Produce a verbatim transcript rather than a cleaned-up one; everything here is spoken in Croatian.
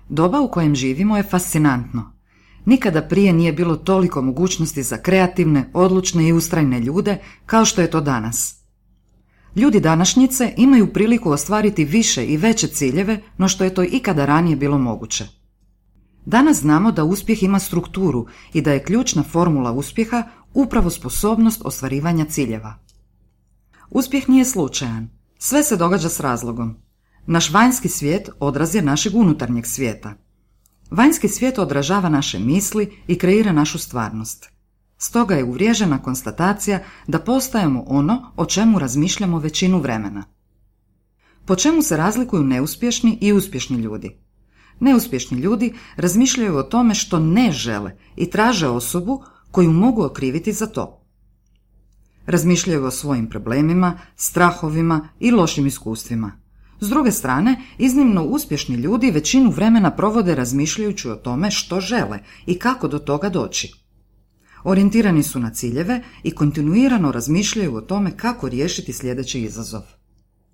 Doba u kojem živimo je fascinantno. Nikada prije nije bilo toliko mogućnosti za kreativne, odlučne i ustrajne ljude kao što je to danas. Ljudi današnjice imaju priliku ostvariti više i veće ciljeve no što je to ikada ranije bilo moguće. Danas znamo da uspjeh ima strukturu i da je ključna formula uspjeha upravo sposobnost ostvarivanja ciljeva. Uspjeh nije slučajan. Sve se događa s razlogom. Naš vanjski svijet odraz je našeg unutarnjeg svijeta. Vanjski svijet odražava naše misli i kreira našu stvarnost. Stoga je uvriježena konstatacija da postajemo ono o čemu razmišljamo većinu vremena. Po čemu se razlikuju neuspješni i uspješni ljudi? Neuspješni ljudi razmišljaju o tome što ne žele i traže osobu koju mogu okriviti za to. Razmišljaju o svojim problemima, strahovima i lošim iskustvima. S druge strane, iznimno uspješni ljudi većinu vremena provode razmišljajući o tome što žele i kako do toga doći. Orijentirani su na ciljeve i kontinuirano razmišljaju o tome kako riješiti sljedeći izazov.